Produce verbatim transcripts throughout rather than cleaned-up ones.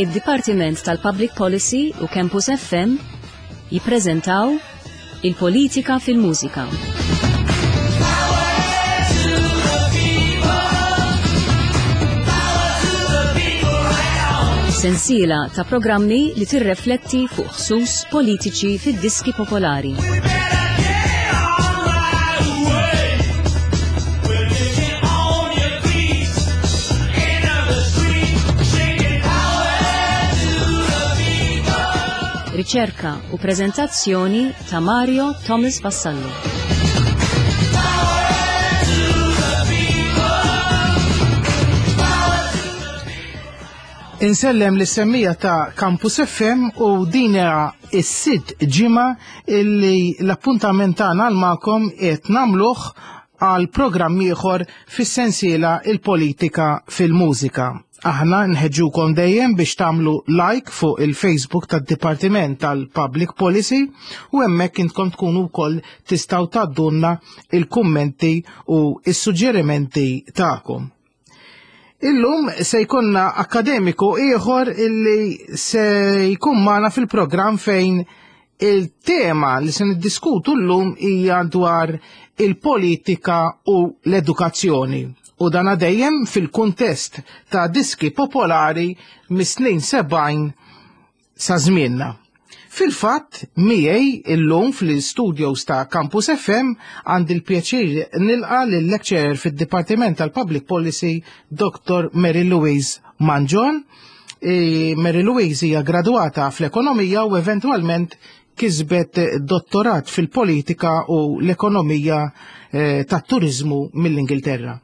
Id-Dipartiment tal-Public Policy u Campus F M jippreżentaw Il-Politika fil-Mużika. Sensiela ta' programmi li tirrefletti fuq ħsus politiċi fid-diski popolari. Riċerka u prezentazzjoni ta' Mario Thomas Vassallo. Insellem lis-semmiegħa ta' Campus F M u din hija s-sitt ġimgħa illi l-appuntament tagħna għal magħkom qed nagħmluh għal programm ieħor fis-sensiela Il-Politika fil-Mużika. Aħna nħeġġukom dejjem biex tagħmlu like fuq il-Facebook tad-Dipartiment tal-Public Policy u hemmhekk intkom tkunu wkoll tistgħu tgħaddulna il-kummenti u s-suġġerimenti tagħkom. Illum se jkunna akademiku ieħor illi se jkun magħna fil-programm, fejn il-tema li se niddiskutu llum hija dwar il-politika u l-edukazzjoni. U dan dejjem fil-kuntest ta' diski popolari mis-snin sebgħin sa' żmienna. Fil-fatt, miegħi illum fl-studios ta' Campus F M għandi l-pjaċir nilqa l-lecturer fid-Dipartiment tal-Public Policy, Doctor Mary Louise Mangion. E, Mary Louise hija graduata fl-ekonomija u eventualment kisbet dottorat fil-politika u l-ekonomija eh, tat-turizmu mill-Ingilterra.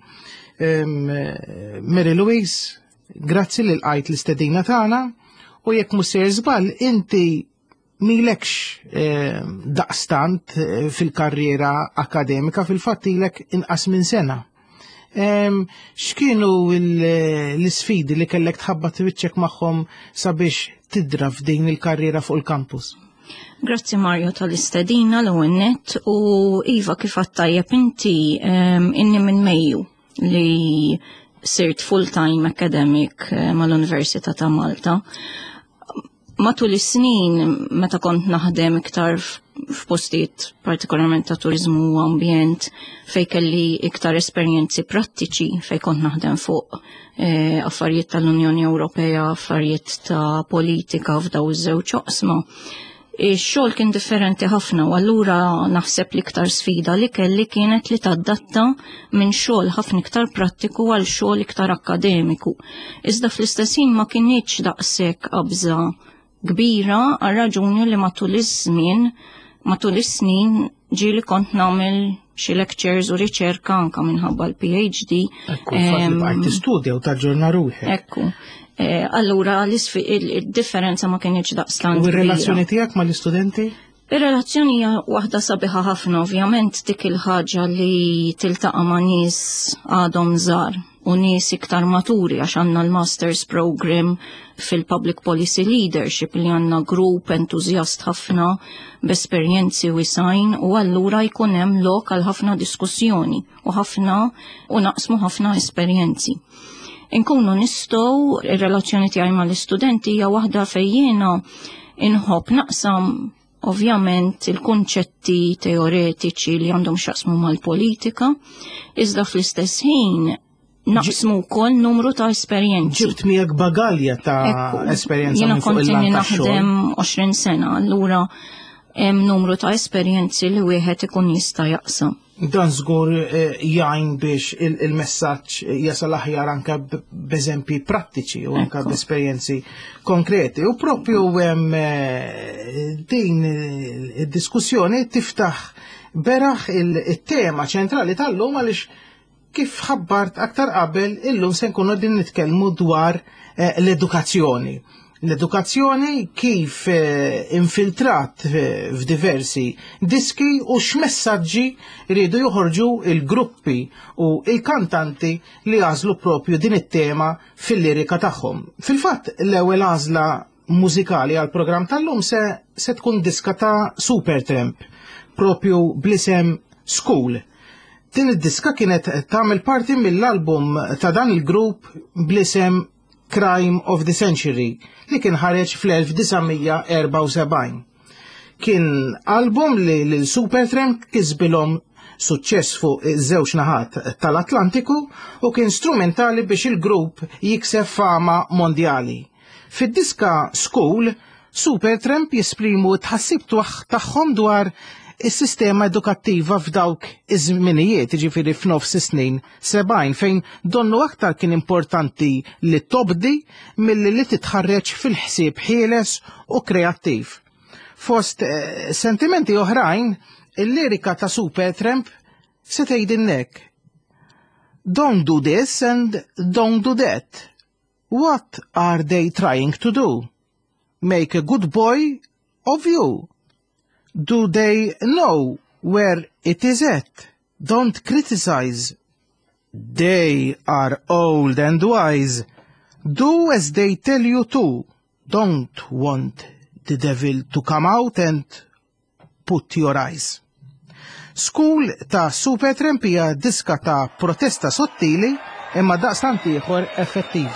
Mary Louise, grazzi li lqajt l-istedina tagħna u jekk mhux sejjer żball, inti m'ilekx eh, daqstant eh, fil-karriera akademika, fil-fatt ilek inqas minn sena. X'kienu l-isfidi li kellek tħabbat wiċċek magħhom sabiex tidra f'din il-karriera fuq il-campus? Grazzi, Mario, tal-istedina l-ewwel u iva, kif tajjeb inti, inni minn Mejju li sirt full-time academic eh, mal-Università ta' Malta. Matul is-snin, meta kont naħdem iktar f'postijiet partikolarment ta' turizmu u ambjent, fej kelli iktar esperjenzi prattiċi, fej kont naħdem fuq eh, affarijiet tal-Unjoni Ewropea, affarijiet ta' politika f'daw iż-żewġ oqsma. Ix-xogħol kien differenti ħafna u allura naħseb li iktar sfida li kelli kienet li tadatta minn xogħol ħafna iktar prattiku għal xogħol iktar akademiku. Iżda fl-istess ħin ma kinitx daqshekk qabża kbira, għal raġuni li matul iż-żmien, matul is-snin, ġieli kont nagħmel xi lectures u riċerka anka minħabba l-P H D. Ekku, fatt tistudja u taġġorna ruħek. Ekku. Eh, allura il-differenza ma kienx daqstant. U r-relazzjoni tiegħek mal-istudenti? Ir-relazzjoni hija waħda sabiħa ħafna, ovvjament dik il-ħaġa li tiltaqa' ma' nies għadhom żgħar u nies iktar maturi, għax għandna l-Masters Program fil-Public Policy Leadership li għandna grupp entużjast ħafna b'esperjenzi wisgħin u allura jkun hemm lok għal ħafna diskussjoni u ħafna u naqsmu ħafna esperjenzi. Inkunu nistgħu, ir-relazzjoni tiegħi mal-istudenti hija waħda fejn jiena inħobb naqsam ovvjament il-kunċetti teoretiċi li għandhom x'jaqsmu mal-politika, iżda fl-istess ħin naqsmu wkoll numru ta' esperjenzi. Ġibt miegħek bagalja ta' esperjenza. Jiena kont naħdem għoxrin sena, allura hemm numru ta' esperjenzi li wieħed ikun jista' jaqsam. Dan żgur eh, jgħin biex il-messaġġ jasal aħjar anke b'eżempji prattiċi u anke b'esperjenzi konkreti. U propju eh, din id-diskussjoni tiftaħ beraħ il-tema ċentrali tal-lum, għaliex kif ħabbart aktar qabel, illum se nkunu din nitkellmu dwar eh, l-edukazzjoni. L-edukazzjoni kif eh, infiltrat eh, f'diversi diski u x'messaġġi rridu joħorġu il-gruppi u il-kantanti li għażlu propju din it-tema fil-lirika tagħhom. Fil-fatt, l-ewwel għażla mużikali għal programm tal-lum se, se tkun diska ta' Supertramp, propju bl-isem School. Din id-diska kienet tagħmel parti mill-album ta' dan il-grupp bl-isem Crime of the Century li kien ħareġ fl-elf disa' mija erbgħa u sebgħin. Kien album li lil Supertramp kisbilhom suċċess fuq iż-żewġ naħat tal-Atlantiku u kien strumentali biex il-grupp jikseb fama mondjali. Fid-diska School, Supertramp jesprimu tħassib tagħhom dwar is-sistema edukattiva f'dawk iż-żminijiet, jiġifieri f'nofs is-snin sebgħin, fejn donnu aktar kien importanti li tobdi milli li titħarreġ fil-ħsieb ħieles u kreattiv. Fost, eh, sentimenti oħrajn, il-lirika ta' Supertramp se tgħidilnek: Don't do this and don't do that. What are they trying to do? Make a good boy of you. Do they know where it is at? Don't criticize. They are old and wise. Do as they tell you to. Don't want the devil to come out and put your eyes. School ta' Supertramp hija diska ta' protesta sottili imma daqstant ieħor effettiv.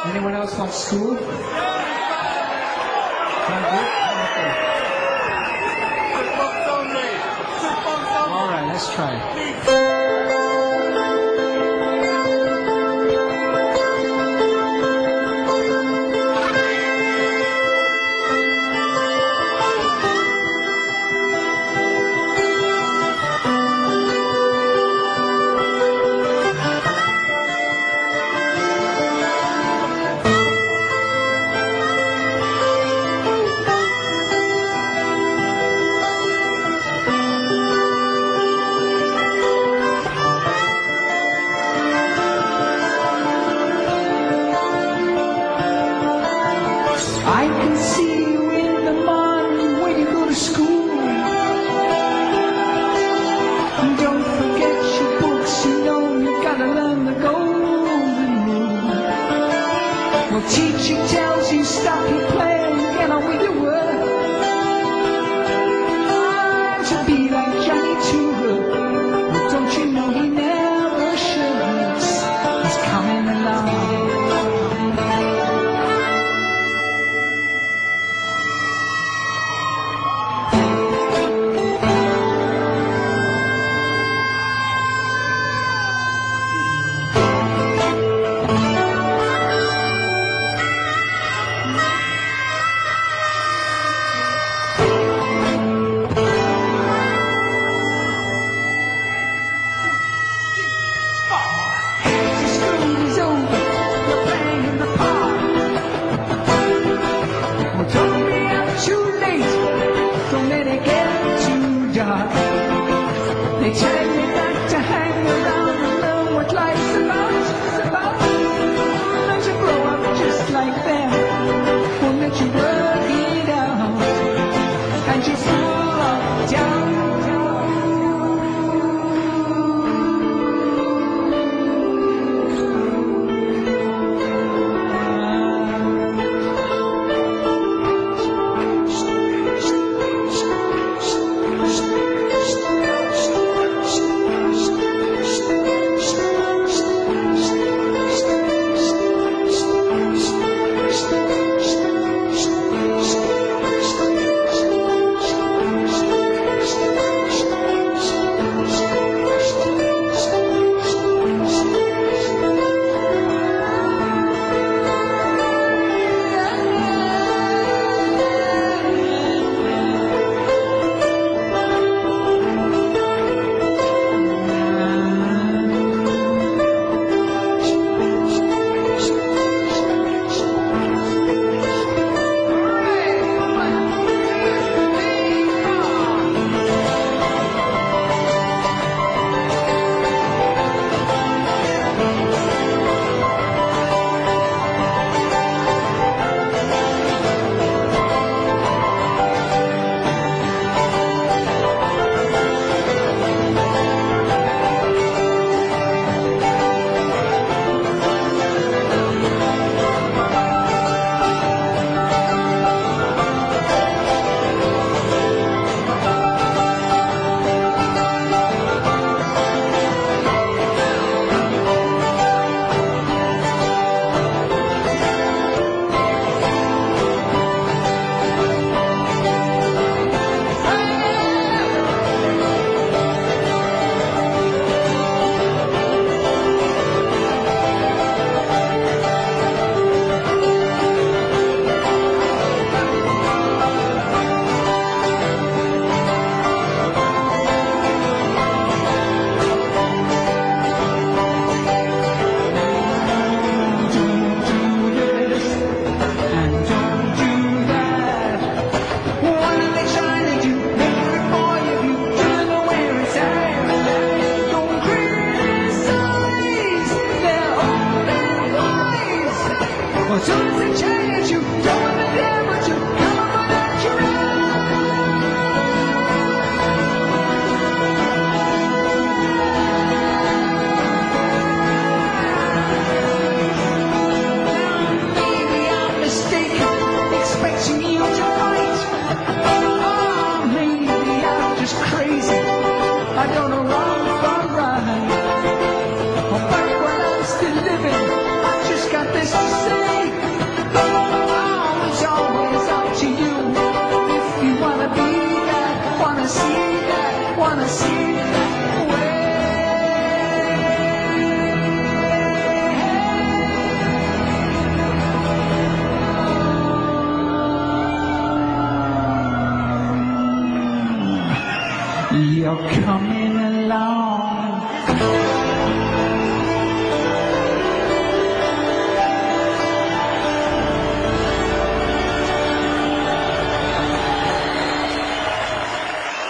Anyone else want school? Thank you. All right, let's try. I can see you in the morning when you go to school. Don't forget your books, you know you gotta learn the golden rule. Well, teacher tells you stop your playing, get on with your work. I'm to be like Johnny Two Hook. Well, don't you know he never shirks? He's coming along. Well, soon as they change, you don't want the dead, but you come up without your own. Maybe I'm mistaken, expecting you to fight. Oh, maybe I'm just crazy. I don't know wrong from right. Oh, but while I'm still living, I just got this to say. Oh, it's always up to you. If you wanna be that, wanna see that, wanna see that way. You're coming along.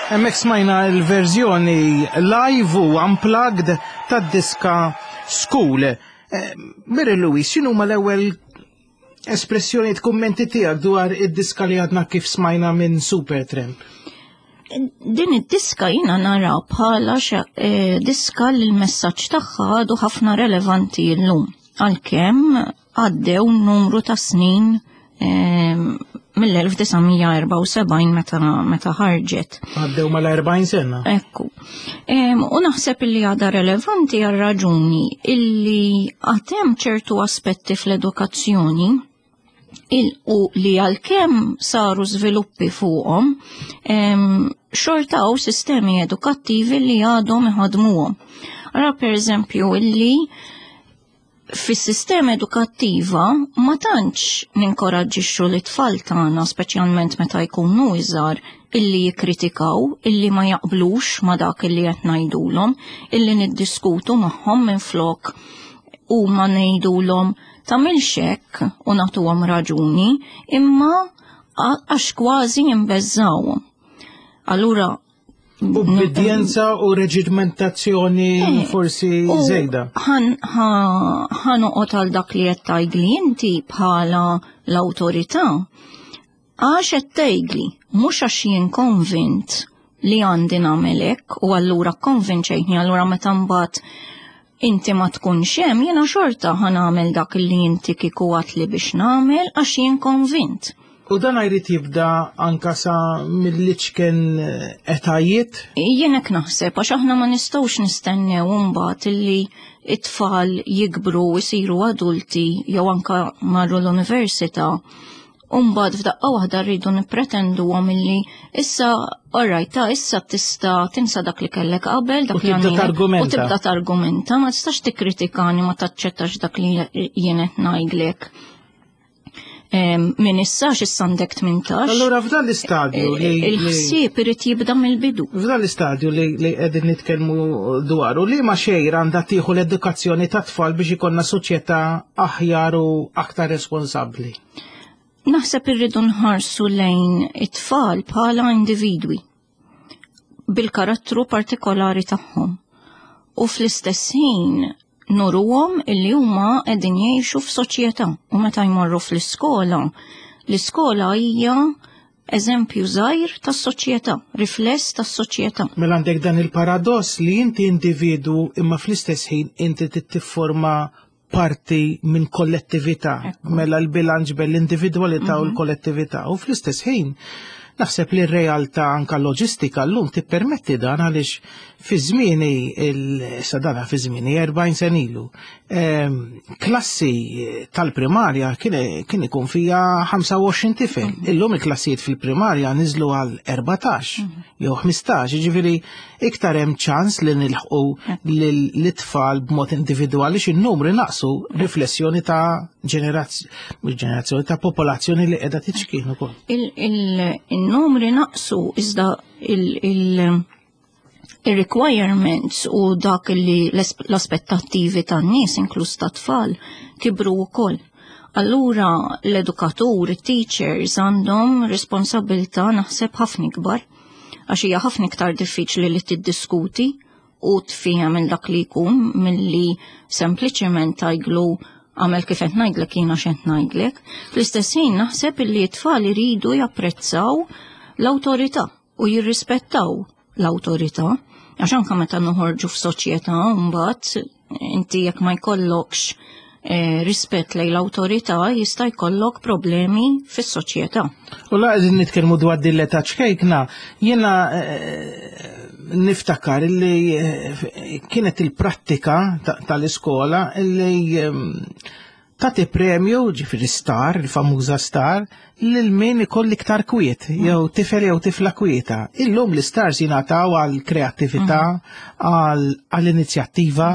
Hemmhekk smajna l-verżjoni live u unplugged tad-diska School. Eh, Mary Louise, x'inhu ma l-ewwel espressjoni kummenti tiegħek dwar id-diska li għadna kif smajna minn Supertramp? Din id-diska jina nara bħala xa- eh, diska li l-messaġġ tagħha għadu ħafna relevanti llum. Għalkemm għaddew numru ta' snin eh, mill-elf disa' mija erbgħa u sebgħin meta, meta ħarġet. Għaddew mal-erbgħin sena. Ekku. Em, u naħseb illi għadha relevanti għal raġuni illi għatem ċertu aspetti fl-edukazzjoni il-, u li għalkemm saru żviluppi fuqhom, em, xorta hawn sistemi edukattivi li għadhom iħadmuhom. Ara per eżempju illi fis-sistema edukattiva ma tantx ninkoraġġixxu l-tfal tagħna, speċjalment meta jkunu iżgħar, illi jikkritikaw, illi ma jaqblux ma dak illi qed ngħidulhom, illi niddiskutu magħhom minflok u ma ngħidulhom tagħmilx hekk u nagħtuhom raġuni, imma a-, għax kważi jimbeżżawhom. Allura Ubbidjenza u reġimentazzjoni Eh, forsi u żejda. ħan, ħa-, ħanoqgħod għal dak li qed tgħidli inti bħala l-awtorità. Għax qed tgħidli, mhux għax jien konvint li għandi nagħmel hekk u allura konvinċejtni, allura meta mbagħad inti ma tkunx hemm, jiena xorta ħa nagħmel dak li inti kieku għatli biex nagħmel għax jien konvint. U dan jrid jibda anka sa mill-liċken etajiet? Jien hekk naħseb, għax aħna ma nistgħux nistennew imbagħad illi it-tfal jikbru u jsiru adulti jew anka marru l-università. U mbagħad f'daqqa waħda rridu nippretenduhom illi issa, all right, ta' issa tista' tinsa dak li kellek qabel, dak U li tibda għandek. targumenta. U tibda targumenta, ma tistax tikkritikani, ma taċċettax dak li jien qed ngħidlek. Em, Min issa x'issa għandek tmintax. Allura f'dan l-istadju li li Il-ħsieb irid jibda mill-bidu. F'dan l-istadju li, li qegħdin nitkellmu dwaru, li ma xejra għandha tieħu l-edukazzjoni ta' tfal biex ikollna soċjetà aħjar u aktar responsabbli? Naħseb irridu nħarsu lejn it-tfal bħala individwi bil-karattru partikolari tagħhom. U fl-istess ħin nuruhom illi huma qegħdin jgħixu f'soċjetà u meta jmorru fl-iskola, l-iskola hija eżempju żgħir tas-soċjetà, rifless tas-soċjetà. Mela għandek dan il-paradoss li inti individu imma fl-istess ħin inti tifforma parti minn kollettività. Ekku. Mela l-bilanċ bejn l-individwalità u Mhm. l-kollettività. U fl-istess ħin naħseb li r-realtà anka loġistika llum tippermetti dan għaliex fi żmieni il-, sadana fi żmieni erbgħin sen ilu, ehm, klassi tal-primarja kien, kien ikun fija ħamsa u għoxrin tifel. Mhm. Illum il-klassijiet fil-primarja niżlu għal erbatax Mhm. jew ħmistax, jiġifieri iktar hemm ċans li nilħqu Mhm. lil-, lit-tfal b'mod individwali x'in-numri naqsu riflessjoni ta' ġenerazz-, mhux ġenerazzjoni, ta' popolazzjoni li qiegħda tiċkien ukoll. Il-, il-, il-numri naqsu iżda il-, il-, il-requirements u dak li l-es-, l-aspettattivi tan-nies, inkluż ta' tfal, kibru wkoll. Allura l-edukatur, it-teachers għandhom responsabilità naħseb ħafna ikbar, għax hija ħafna iktar diffiċli li tiddiskuti u tfiehem minn dak li jkun milli sempliċement tgħidlu Għamel kif qed ngħidlek jiena x'qed ngħidlek. Fl-istess ħin naħseb illi t-tfal iridu japprezzaw l-awtorità u jirrispettaw l-awtorità. Għax anke meta noħorġu f'soċjetà mbagħad inti jekk ma jkollokx eh, rispett lejn l-awtorità jista' jkollok problemi fis-soċjetà. U la qegħdin nitkellmu dwar din l-età ċkejkna, jiena eh, niftakar illi eh, kienet il-prattika tal-iskola illi ehm, tagħti premju, ġifieri star, il-famuża star, lil min ikollu iktar kwiet, jew tifel jew tifla kwieta. Illum l-istars jingħataw għal kreattività, għall-inizjattiva,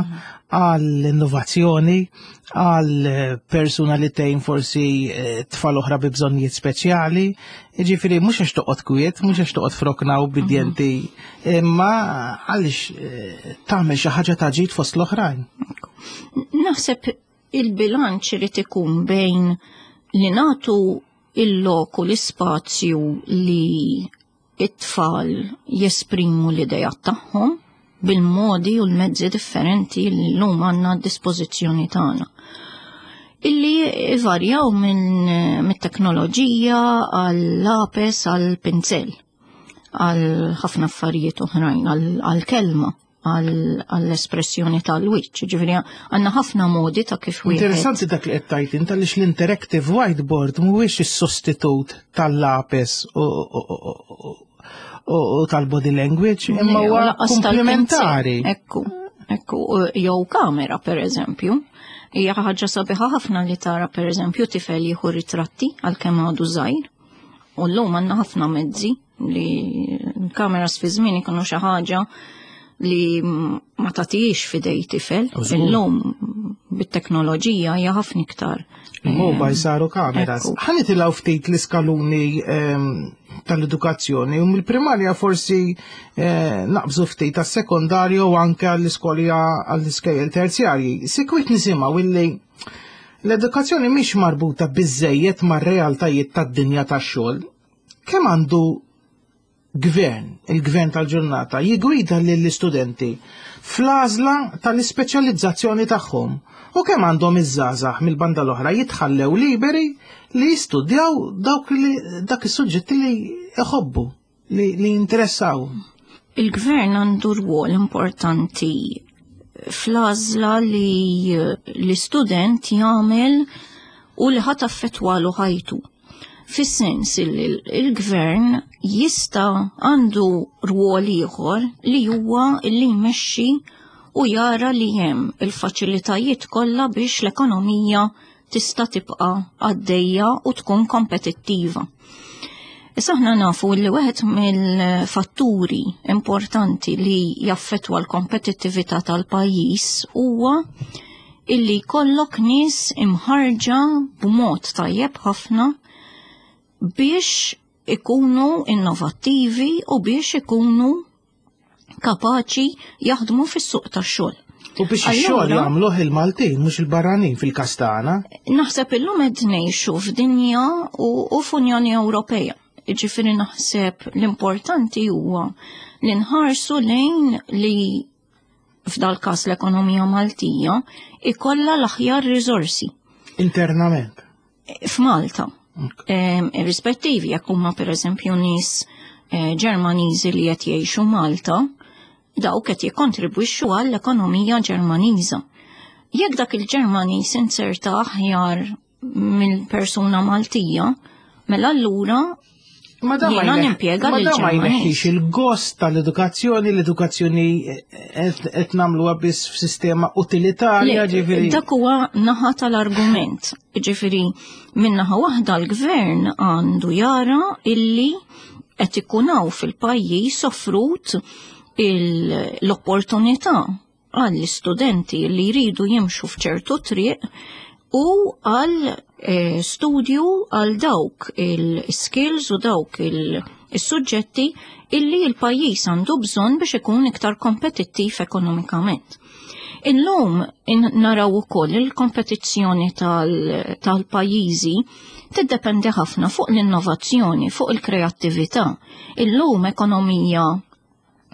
għall-innovazzjoni, għal persuna li tgħin forsi eh, tfal oħra bi bżonnijiet speċjali. Ġifieri mhux għax toqgħod kwiet, mhux għax toqgħod f'rokna ubbidjenti, imma għaliex eh, tagħmel xi ħaġa ta' ġid fost l-oħrajn. Naħseb il-bilanċ irid ikun bejn li nagħtu il-lok u l-ispazju li it-tfal jesprimu l-idejat tagħhom bil-modi u l-mezzi differenti li l-lum għandna d-dispożizzjoni tagħna. Illi varjaw minn mit-teknoloġija għall-lapes għall-pinzel, għal ħafna affarijiet oħrajn, għall-kelma, għall-espressjoni tal-wiċċ. Ġifieri għandna ħafna modi ta' kif wieħed. Interessanti dak li qed tgħid int għaliex l-interactive whiteboard mhuwiex is-sostitut tal-lapes u u tal-body language, imma huwa Lanqas komplementari. tal-pinzel. Ekku, ekku, jew kamera per eżempju. Hija ħaġa sabiħa ħafna li tara per eżempju tifel jieħu ritratti għalkemm għadu żgħir. U llum għandna ħafna mezzi li kameras fi żmien ikunu xi ħaġa li ma tagħtix f'idej tifel. U żgur. Illum bit-teknoloġija hija ħafna iktar. Il-mobile saru kameras. Ekku. Ħa nitilgħu ftit l-iskaluni ehm, tal-edukazzjoni u mill-primarja forsi eh, naqbżu ftit tas-sekondarju u anke għall-iskoli għall-iskejjel terzjarji. Sikwit nisimgħu illi l-edukazzjoni mhix marbuta biżejjed mar-realtajiet tad-dinja tax-xogħol. Kemm għandu gvern, il-gvern tal-ġurnata, jigwida lill-istudenti fl-għażla tal-ispeċjalizzazzjoni tagħhom u kemm għandhom iż-żgħażagħ mill-banda l-oħra jitħallew liberi li jistudjaw dawk li dak is-suġġetti li iħobbu, li, li jinteressaw. Il-gvern għandu rwol importanti fl-għażla li l-istudent jagħmel u li ħa taffettwalu ħajtu. Fis-sens li il-gvern jista' għandu rwol ieħor li huwa li jmexxi u jara li hemm il-faċilitajiet kollha biex l-ekonomija tista' tibqa' għaddejja u tkun kompetittiva. Issa aħna nafu li wieħed mill-fatturi importanti li jaffettwa l-kompetittività tal-pajjiż huwa illi jkollok nies imħarġa b'mod tajjeb ħafna biex ikunu innovattivi u biex ikunu kapaċi jaħdmu fis-suq tax-xogħol. U biex ix-xogħol Allura- jagħmluh il-Maltin mhux il-barranin fil-każ tagħna. Naħseb illum qed ngħixu f'dinja u, u f'Unjoni Ewropea. Ġifieri naħseb l-importanti huwa li nħarsu lejn li f'dal każ l-ekonomija Maltija ikollha l-aħjar riżorsi Internament. f'Malta. Em, Rispettivi jekk huma pereżempju nies eh, Ġermaniżi li qed jgħixu Malta, dawk qed jikkontribwixxu għall-ekonomija Ġermaniża. Jekk dak il-Ġermaniż inserta aħjar mill-persuna Maltija, mela allura Ma da ma Jiena jneħ- nimpjega ma lil da ma Ġermaniż. jneħħix il-gost tal-edukazzjoni, l-edukazzjoni qed qed nagħmluha biss f'sistema utilitarja, Le, ġifieri. Dak huwa naħa tal-argument. Ġifieri, minn naħa waħda l-gvern għandu jara illi qed ikun hawn fil-pajjiż offrut il- l-opportunità għall-istudenti li jridu jimxu f'ċertu triq u għal eh, studju għal dawk il-skills u dawk il-suġġetti illi il-pajjiż għandu bżonn biex ikun iktar kompetittiv ekonomikament. Illum in naraw ukoll il-kompetizzjoni tal- tal-pajjiżi tiddependi ħafna fuq l-innovazzjoni, fuq il-kreattività. Illum ekonomija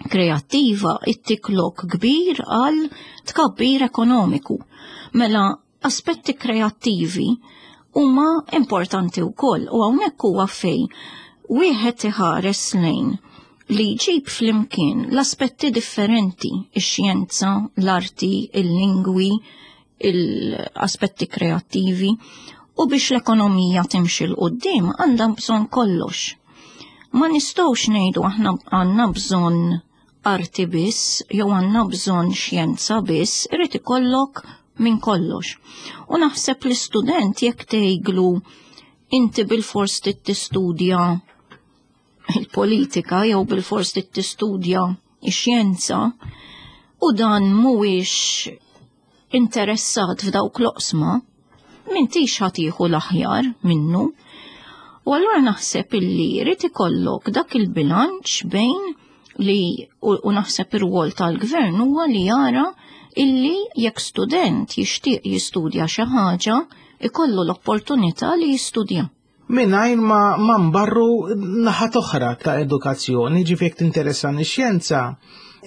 kreattiva ittik lok kbir għal tkabbir ekonomiku. Mela Aspetti kreattivi huma importanti wkoll u hawnhekk huwa fejn wieħed iħares lejn li jġib flimkien l-aspetti differenti, ix-xjenza, l-arti, il-lingwi, l-aspetti kreattivi, u biex l-ekonomija timxi 'l quddiem għandha bżonn kollox. Ma nistgħux ngħidu aħna għandna bżonn arti biss jew għandna bżonn xjenza biss, irid ikollok minn kollox. U naħseb l-istudent jekk tgħidlu inti bil-fors tistudja il-politika jew bil-fors tistudja ix-xjenza u dan mhuwiex interessat f'dawk l-oqsma, m'intix ħa tieħu l-aħjar minnu. U allura naħseb illi jrid ikollok dak il-bilanċ bejn li u, u naħseb ir-rwol tal-gvern huwa li jara illi jekk student jixtieq jistudja xi ħaġa, ikollu l-opportunità li jistudja. Mingħajr ma, ma nbarru naħat oħra ta' edukazzjoni, ġifieri jekk tinteressani x-xjenza,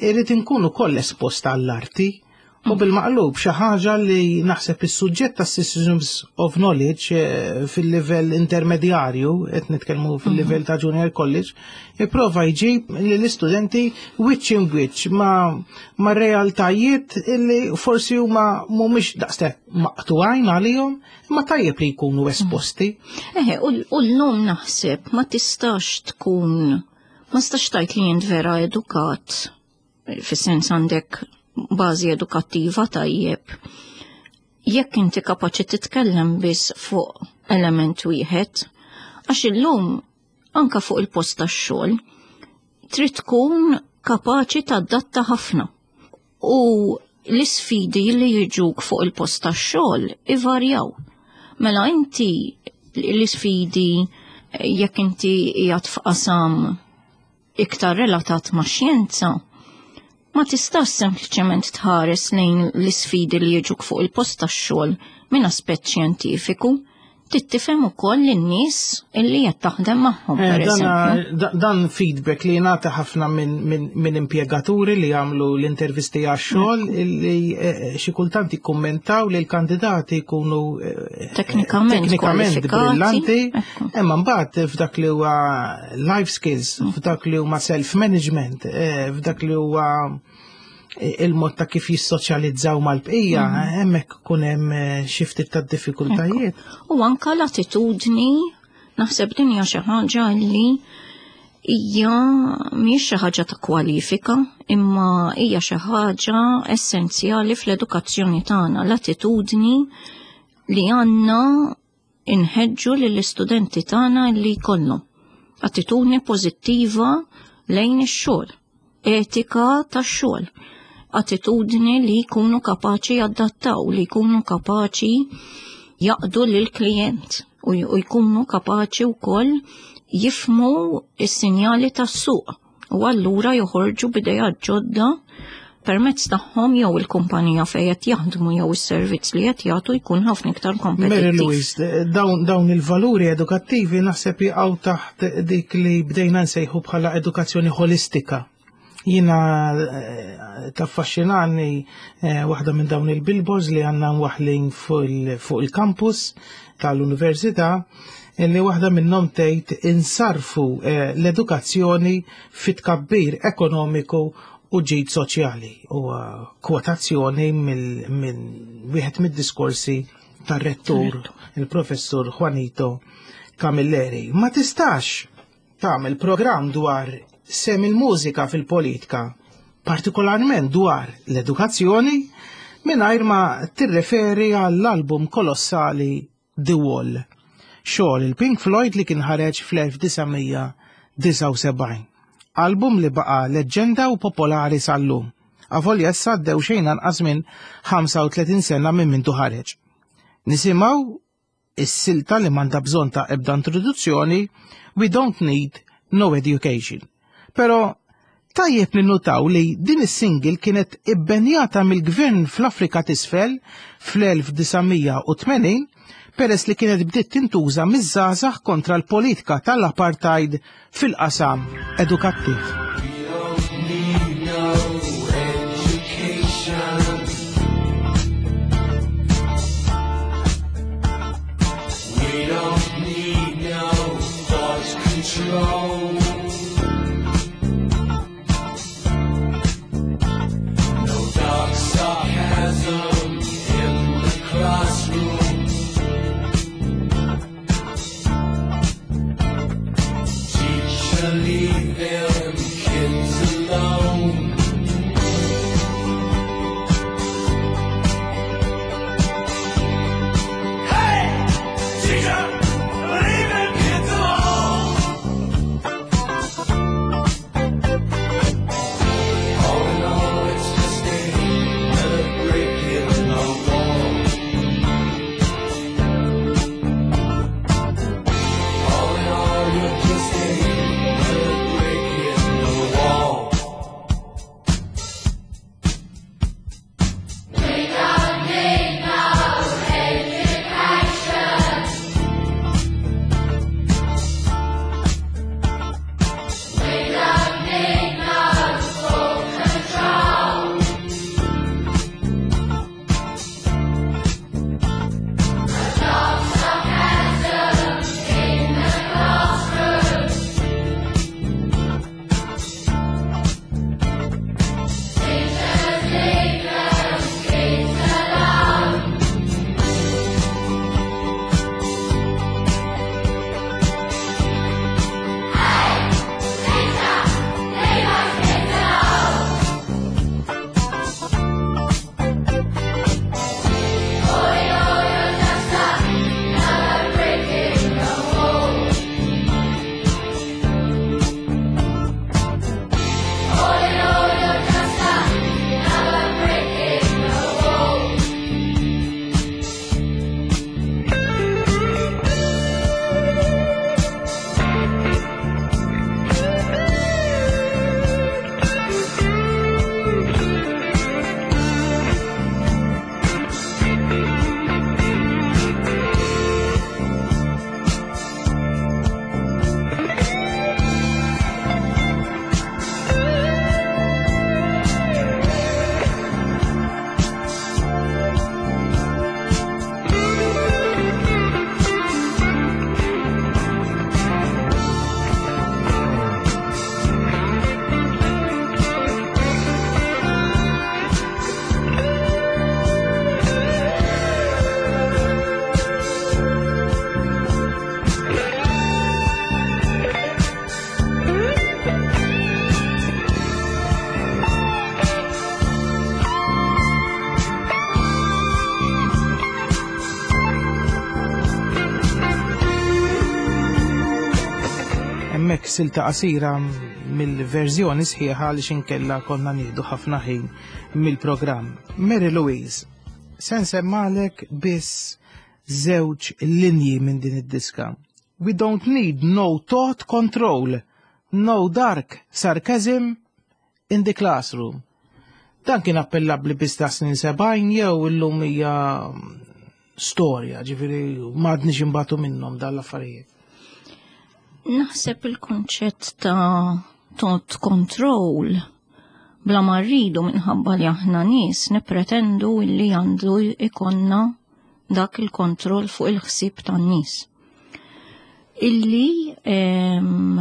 irrid inkunu koll esposta għall-arti u bil-maqlub, xi ħaġa li naħseb is-suġġett ta' Systems of Knowledge eh, fil-livell intermedjarju, qed nitkellmu fil-livell ta' Junior College, jipprova jġib lill-istudenti wiċċ in wiċċ ma' ma' realtajiet li forsi huma mhumiex daqshekk maqtugħin għalihom, imma tajjeb li jkunu esposti. Eħe, u u llum naħseb ma tistax tkun, ma tistax tgħid li jint vera edukat, fis-sens għandek bażi edukattiva tajjeb, jekk inti kapaċi titkellem biss fuq element wieħed, għax illum anka fuq il-post tax-xogħol trid tkun kapaċi tadatta ħafna. U l-isfidi li jiġuk fuq il-post tax-xogħol ivarjaw. Mela inti l-isfidi jekk inti qiegħed f'qasam iktar relatat ma' xjenza, ma tistax sempliċement tħares lejn l-isfidi li jiġuk fuq il-post tax-xogħol minn aspett xjentifiku, trid tifhem ukoll lin-nies illi qed taħdem magħhom, Eh, per dan, eżempju. da- dan feedback li jingħata ħafna minn min, min impjegaturi li jagħmlu l-intervisti għax-xogħol li eh, xi kultant jikkummentaw li l-kandidati jkunu eh, Teknikament teknikament kwalifikati. brillanti, Ekku. imma mbagħad f'dak li huwa life skills, f'dak li huma self-management, eh, f'dak li huwa il-mod ta' kif jissoċjalizzaw mal-bqija, hemmhekk ikun hemm eh, xi ftit ta' diffikultajiet. U anka l-attitudni, naħseb din hija xi ħaġa li hija mhijiex xi ħaġa ta' kwalifika, imma hija xi ħaġa essenzjali fl-edukazzjoni tagħna, l-attitudni li għandna inħeġġu lill-istudenti tagħna li jkollhom. Attitudni pożittiva lejn ix-xogħol, etika tax-xogħol, attitudni li jkunu kapaċi jadattaw, li jkunu kapaċi jaqdu lill-klijent u u jkunu kapaċi wkoll jifhmu is-sinjali tas-suq u allura joħorġu b'idejat ġodda permezz tagħhom jew il-kumpanija fejn qed jaħdmu jew is-servizz li qed jagħtu jkun ħafna iktar Mary kompetittiv. Louise, dawn, dawn il-valuri edukattivi naħseb jaqgħu taħt dik li bdejna nsejħu bħala edukazzjoni holistika. Jiena eh, taffaxxinani eh, waħda minn dawn il-billboards li għandna mwaħlin fuq il- fuq il-campus tal-università, li waħda minnhom tgħid insarfu eh, l-edukazzjoni fit tkabbir ekonomiku u ġid soċjali. U kwotazzjoni minn wieħed mid-diskorsi tar-rettur, il-professur Juanito Camilleri. Ma tistax tagħmel programm dwar sehem il-mużika fil-politika, partikolarment dwar l-edukazzjoni, mingħajr ma tirreferi għall-album kolossali The Wall, xogħol il-Pink Floyd li kien ħareġ fl-elf disa' mija disgħa u sebgħin. Album li baqa leġġenda u popolari sal-lum. Avolja issa għaddew xejn anqas minn ħamsa u tletin sena minn mindu ħareġ. Nisimgħu is-silta li m'għandha bżonn ta' ebda introduzzjoni, We Don't Need No Education. Pero tajjeb ninnutaw li din is-single kienet ibbenjata mill-gvern fl-Afrika t'Isfel fl-elf disa' mija u tmenin peress li kienet bdiet tintuża miż-żgħażagħ kontra l-politika tal-apartheid fil-qasam edukattiv. We don't need no education. Teacher, leave them kids alone. All in all, it's just another brick in the wall. All in all, you're just another brick in the wall. Hemmhekk silta qasira mill-verżjoni sħiħa li xinkella konna nieħdu ħafna ħin mill-programm. Mary Louise, se nsemmalek biss żewġ linji minn din id-diska. We don't need no thought control, no dark sarcasm in the classroom. Dan kien appellabbli biss ta' snin sebgħin jew illum hija storja, ġifieri m'għadniex imbagħtu minnhom dan l-affarijiet. Naħseb il-konċett ta' thought control bla ma rridu minħabba li aħna nies nippretendu illi għandu ikonna dak il-kontroll fuq il-ħsieb tan-nies. Illi em,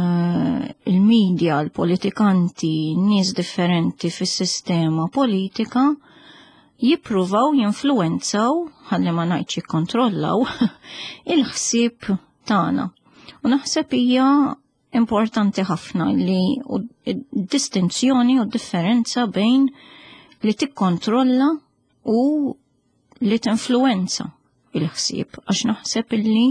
il-medja, l-politikanti, nies differenti fis-sistema politika jippruvaw jinfluwenzaw, ħalli ma ngħidx jikkontrollaw, il-ħsieb tagħna. U naħseb hija importanti ħafna li u distinzjoni u differenza bejn li tikkontrolla u li tinfluwenza il-ħsieb, għax naħseb illi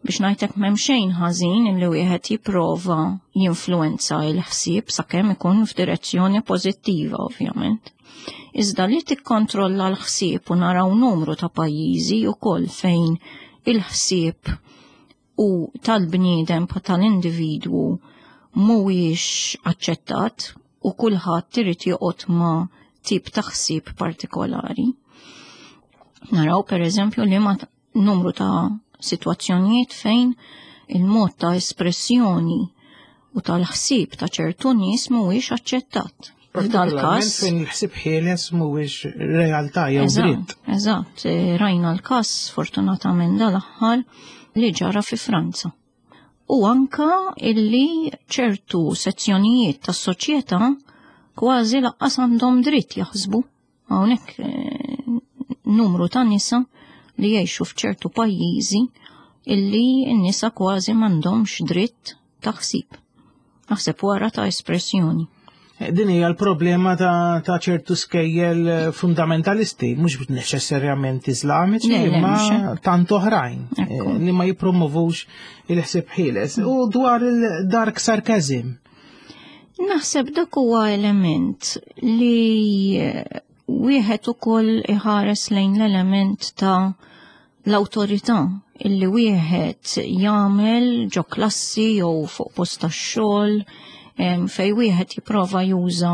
biex ngħidlek m'hemm xejn ħażin illi wieħed jipprova jinfluwenza il-ħsieb sakemm ikun f'direzzjoni pożittiva ovvjament. Iżda li tikkontrolla l-ħsieb u naraw numru ta' pajjiżi wkoll fejn il-ħsieb u tal-bniedem pa tal-individwu mhuwiex aċċettat u kulħadd irid joqgħod ma' tip ta' ħsieb partikolari. Naraw per eżempju li ma numru ta' sitwazzjonijiet fejn il-mod ta' espressjoni u tal-ħsieb ta' ċertu nies mhuwiex aċċettat. F'dal każ fejn il-ħsieb ħieles mhuwiex realtà jew dritt. Eżatt, rajna l-każ sfortunatament dal-aħħar li ġara fi Franza. U anka illi ċertu sezzjonijiet tas-soċjetà kważi laqqas għandhom dritt jaħsbu. Hawnhekk numru ta' nisa li jgħixu f'ċertu pajjiżi illi n-nisa kważi m'għandhomx dritt ta' ħsieb. Naħseb wara ta' espressjoni. Din hija l-problema ta', ta ċertu skejjel fundamentalisti, mhux neċessarjament Iżlamiċi, Le, le, imma mhux hekk. tant oħrajn Ekku. eh, li ma jippromovux il-ħsieb ħieles. U dwar il-dark sarcasm. Naħseb dak huwa element li eh, wieħed ukoll iħares lejn l-element ta' l-awtorità illi wieħed jagħmel ġo klassi jew fuq post tax-xogħol em, fej wieħed jipprova juża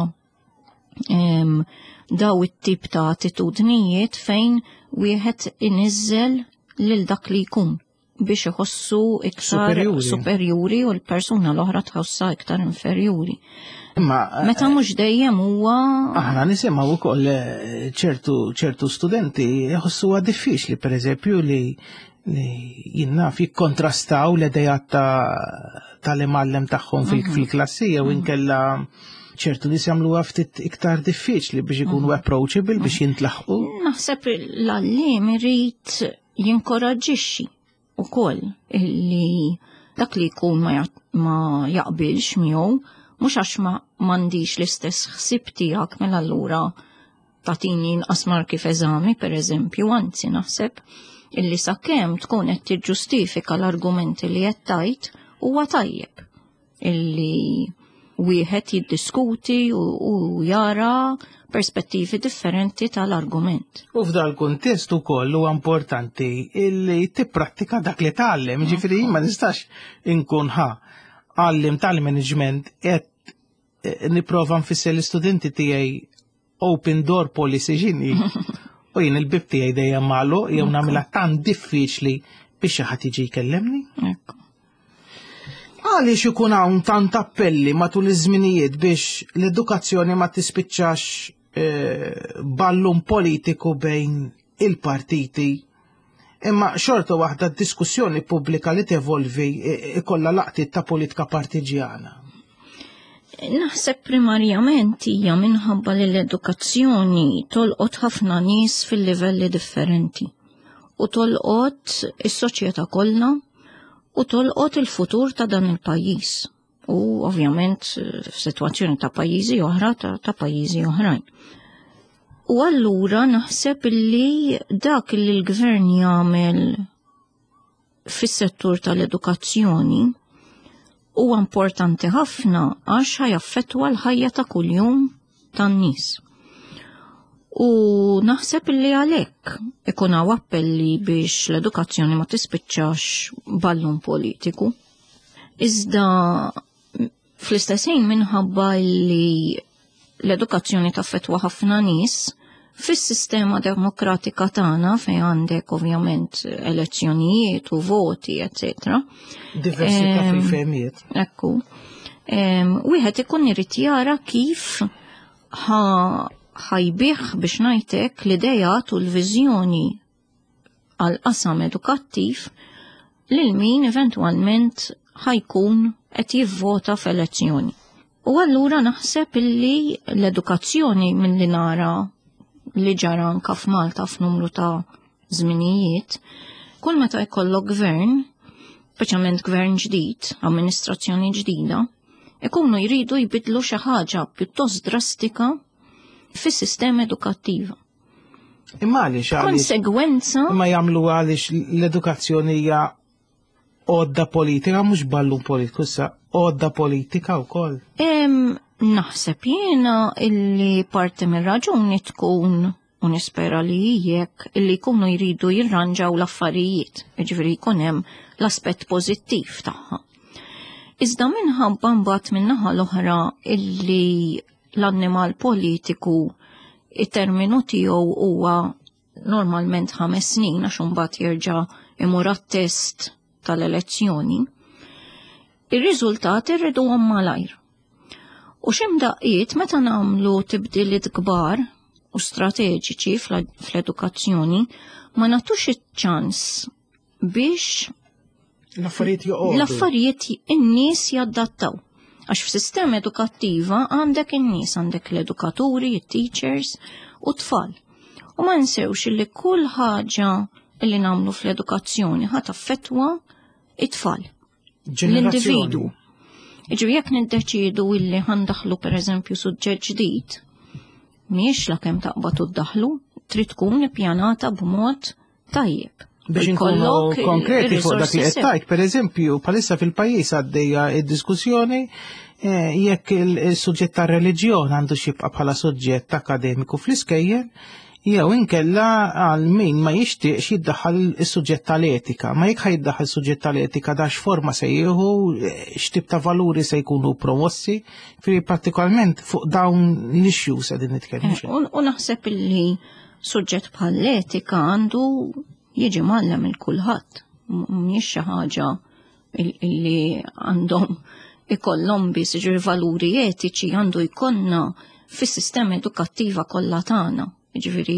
em, daw it-tip ta' attitudnijiet fejn wieħed iniżżel lil dak li jkun biex iħossu iktar Superjuri. superjuri u l-persuna l-oħra tħossha iktar inferjuri. Imma Meta mhux dejjem huwa aħna nisimgħu wkoll eh, ċertu ċertu studenti jħossuha diffiċli pereżempju li li jien naf jikkontrastaw l-idejat ta' tal-imgħallem tagħhom fil- fil-klassi jew inkella ċertu nies jagħmluha ftit iktar diffiċli biex ikunu approachable biex jintlaħqu. Naħseb l-għalliem irid jinkoraġġixxi ukoll illi dak li jkun ma, ja- ma jaqbilx miegħu mhux għax ma m'għandix l-istess ħsieb tiegħek mela allura tagħtini inqas marki f'eżami pereżempju, anzi naħseb illi sakemm tkun qed tiġġustifika l-argumenti li qed tajt huwa tajjeb illi wieħed jiddiskuti u, u jara perspettivi differenti tal-argument. U f'dal kuntest ukoll huwa importanti illi tipprattika dak li tgħallem, ġifieri ma nistax inkun ħa għalliem tal-management qed eh, nipprova nfisser l-istudenti tiegħi open door policy x'inhi. U jien il-bib tiegħi dejjem magħluq jew nagħmilha tant diffiċli biex xi ħadd jiġi jkellimni. Ekku. Għaliex ikun hawn tant appelli matul iż-żminijiet biex l-edukazzjoni ma tispiċċax eh, ballun politiku bejn il-partiti. Imma xorta waħda diskussjoni pubblika li tevolvi eh, ikollha laqtiet ta' politika partiġjana. Naħseb primarjament hija minħabba li l-edukazzjoni tolqot ħafna nies fil-livelli differenti. U tolqot is-soċjetà kollha u tolqot il-futur ta' dan il-pajjiż. U ovvjament f'sitwazzjoni ta' pajjiżi oħra ta', ta' pajjiżi oħrajn. U allura naħseb li dak li l-gvern jagħmel fis-settur tal-edukazzjoni huwa importanti ħafna għax ħa jaffettwa l-ħajja ta' kuljum tan-nies. U naħseb li għalhekk ikun hawn appelli biex l-edukazzjoni ma tispiċċax ballun politiku. Iżda fl-istess ħin minħabba li l-edukazzjoni taffettwa ħafna nies, fis-sistema demokratika tagħna fejn għandek ovvjament elezzjonijiet u voti, eccetera. Diversità Em, fil-fehmiet. Ekku. Em, Wieħed ikun irid jara kif ħa ħa jbigħ biex ngħidlek l-idejat u l-viżjoni għal qasam edukattiv lil min eventwalment ħa jkun qed jivvota f'elezzjoni. U allura naħseb illi l-edukazzjoni milli nara li ġara anka f'Malta f'numru ta' żminijiet, kull meta jkollok gvern, speċjalment gvern ġdid, amministrazzjoni ġdida, ikunu jridu jbidlu xi ħaġa pjuttost drastika fis-sistema edukattiva. Imma għaliex għaliex Konsegwenza imma jagħmlu għaliex l-edukazzjoni hija għodda politika, mhux ballun politiku, issa għodda politika wkoll. Em, naħseb jiena illi parti mir-raġuni tkun u nispera li jekk illi jkunu jridu jirranġaw l-affarijiet, jiġifieri jkun hemm l-aspett pożittiv tagħha. Iżda minħabba mbagħad min-naħa l-oħra illi l-annimal politiku it-terminu tiegħu huwa normalment ħames snin għax imbagħad jerġa' imur għat-test tal-elezzjoni, ir-riżultati rriduhom malajr. U x'imdaqqiet meta nagħmlu tibdiliet kbar u strateġiċi fl-edukazzjoni ma nagħtux iċ-ċans biex L-affarijiet joqogħdu. l-affarijiet in-nies jaddattaw. Għax f'sistema edukattiva għandek in-nies, għandek l-edukaturi, it-teachers u tfal. U ma nsewx li kull ħaġa li nagħmlu fl-edukazzjoni ħa taffettwa it-tfal, Ġenerazzjoni. l-individu. Jiġifieri jekk niddeċiedu illi ħa ndaħħlu pereżempju suġġett ġdid, mhijiex la kemm taqbad u ddaħħlu, trid tkun ippjanata b'mod tajjeb. Biex inkunu konkreti fuq dak li qed tgħid, pereżempju, bħalissa fil-pajjiż għaddejja d-diskussjoni eh, jekk il-suġġett ta' reliġjon għandu jibqa' bħala suġġett akademiku fl-iskejjel, jew inkella għal min ma jixtieqx jiddaħħal is-suġġett tal-etika. Ma jekk ħa jiddaħħal suġġett tal-etika dax forma se jieħu, x'tip ta' valuri se jkunu promossi, fi partikolarment fuq dawn l-issues qegħdin nitkellmu. Eh, u naħseb illi suġġett bħall-etika għandu jiġi mgħallem lil kulħadd. Mhijiex xi ħaġa illi għandhom ikollhom biss jiġri valuri etiċi għandu jkollna fis-sistema edukattiva kollha tagħna. Jiġifieri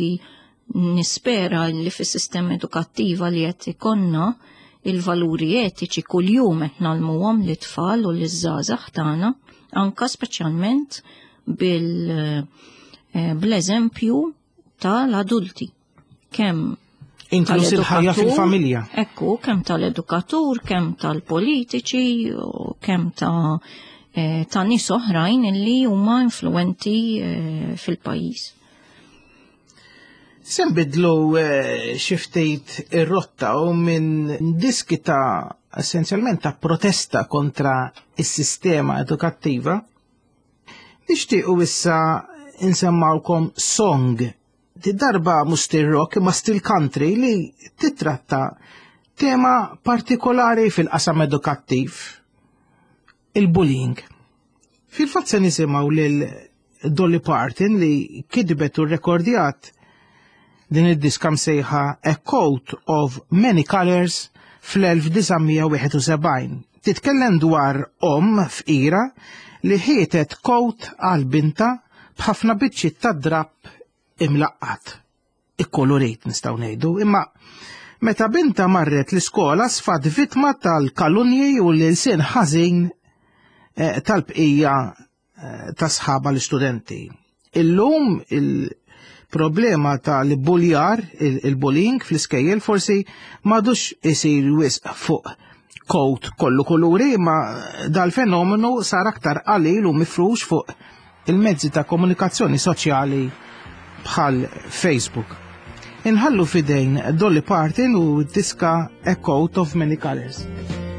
nispera li fis-sistema edukattiva li qed ikollna il-valuri etiċi kuljum qed ngħallmuhom lit-tfal u liż-żgħażagħ tagħna, anka speċjalment bil eh, bl-eżempju tal-adulti. Kemm Inkluż il-ħajja fil-familja. Ekku, kemm tal-edukatur, kemm tal-politiċi, kemm ta' eh, ta' nies oħrajn illi huma influenti eh, fil-pajjiż. Se nbiddlu eh, xi ftit ir-rotta u minn diski ta' essenzjalment ta' protesta kontra is-sistema edukattiva, nixtiequ issa insemmawkom song darba mhux stil rock imma stil country li titratta tema partikolari fil-qasam edukattiv, il-bullying. Fil-fatt se nisimgħu lil Dolly Parton li kitbet u rekordjat din id-diska msejħa A Coat of Many Colors fl-elf disa' mija wieħed u sebgħin. Titkellem dwar om fqira li ħietet coat għal binta b'ħafna biċċiet ta' drapp imlaqqat, ikkolorit nistgħu ngħidu, imma meta binta marret l-iskola sfat vittma tal-kalunji u l-ilsien ħażin, eh, tal-bqija, eh, ta' sħaba l-istudenti. Illum il-problema tal-buljar, il-, il-bullying fl-iskejjel forsi m'għadux isir wisq fuq coat kollu kuluri, ma dal-fenomenu sar aktar qalil u mifrux fuq il-mezzi ta' komunikazzjoni soċjali bħal Facebook. Inħallu fidejn Dolly Parton u diska A Coat of Many Colors.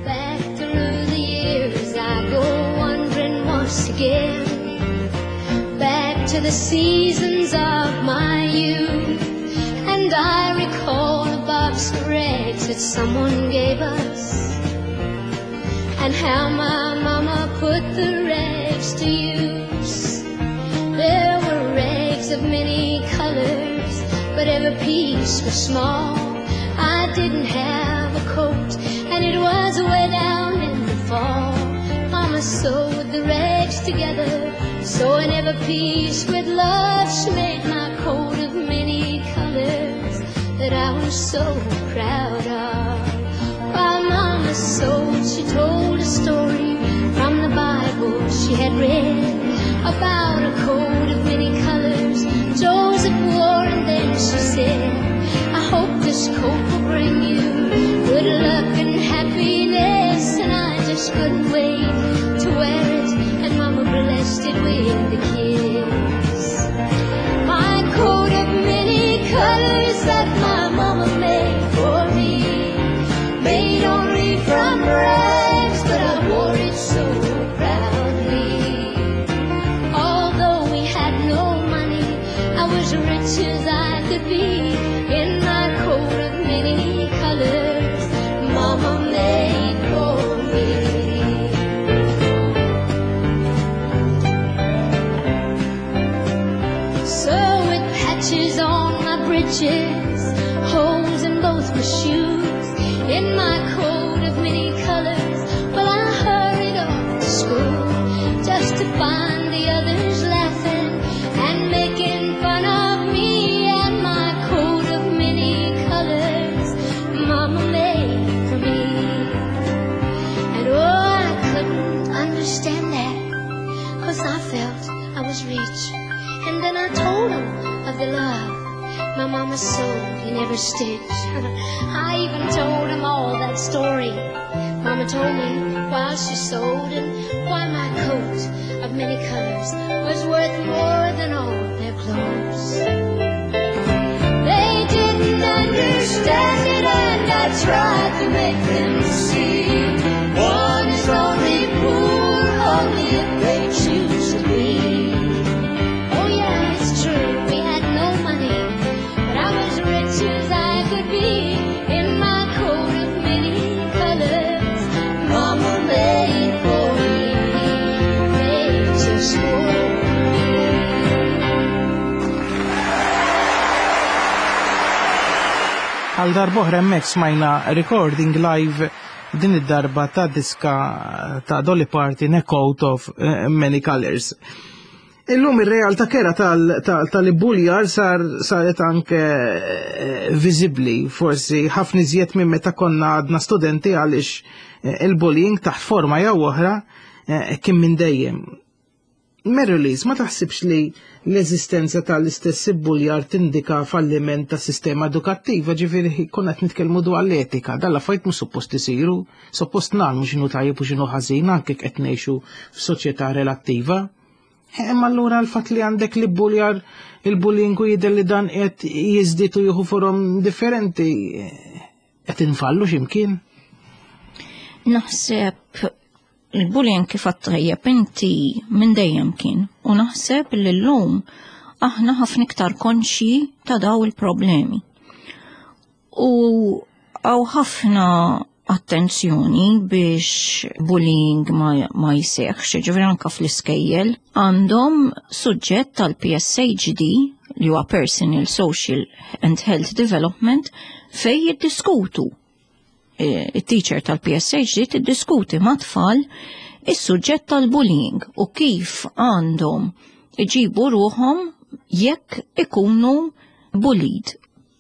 Back through the years I go wandering once again, back to the seasons of my youth, and I recall a box of rags that someone gave us, and how my mama put the rags to use. There were rags of many colors, but every piece was small. I didn't have a coat, and it was way down in the fall. Mama sewed the rags together, sewing every piece with love. She made my coat of many colors that I was so proud of. While Mama sewed, she told a story from the Bible she had read about a coat of many colors Joseph wore, and then she said, I hope this coat will bring you good luck and happiness. And I just couldn't wait to wear it, and Mama blessed it with a kiss. My coat of many colors that my mama made for me, made only from rags, but I wore it so proudly. Although we had no money, I was rich as I could be in my coat of many colors Mama made for me. So with patches on my breeches, holes in both my shoes, in my coat of many colors, well, I hurried off to school just to find the others laughing and making fun of me and my coat of many colors Mama made for me. And oh, I couldn't understand that, 'cause I felt I was rich. And then I told 'em of the love my mama sewed in every stitch. I even told 'em all that story Mama Mama told me while she sewed and why my coat of many colors was worth more than all their clothes. They didn't understand it, and I tried to make them see. One is only poor only if they choose to be. Oh yeah, it's true, we had no money, but I was rich as I could be in my coat of many colors. Mama made for me, made just for me. Għal darb'oħra hemmhekk smajna recording live din id-darba ta' diska ta' Dolly Parton, A Coat of eh, Many Colors. Illum ir-realtà kera tal-ibbuljar sar saret anke eh, viżibbli, forsi ħafna iżjed minn meta konna għadna studenti għaliex eh, il-bullying taħt forma jew oħra eh, kien minn dejjem. Mary-Louise, ma taħsibx li l-eżistenza tal-istess ibbuljar tindika falliment ta' sistema edukattiva, ġifieri konna qed nitkellmu dwar l-etika, dan l-affarijiet mhux suppost isiru, suppost nagħmlu x'inhu tajjeb u x'inhu ħażin anke qed ngħixu f'soċjetà relattiva. Imma allura l-fatt li għandek l-ibbuljar, il-bullying u jidher li dan qed jiżdied u jieħu forom differenti, qed infallu x'imkien? Naħseb il-bullying kif għat-tajjeb inti minn dejjem kien, u naħseb li llum aħna ħafna iktar konxji ta' daw il-problemi. U għaw ħafna attenzjoni biex bullying ma, ma jseħħx, ġifieri anka fl-iskejjel għandhom suġġett tal-P S H D li huwa Personal, Social and Health Development fej jiddiskutu. Il-teacher tal-P S H D tiddiskuti ma' tfal is-suġġett tal-bullying u kif għandhom iġibu ruħhom jekk ikunu bullied.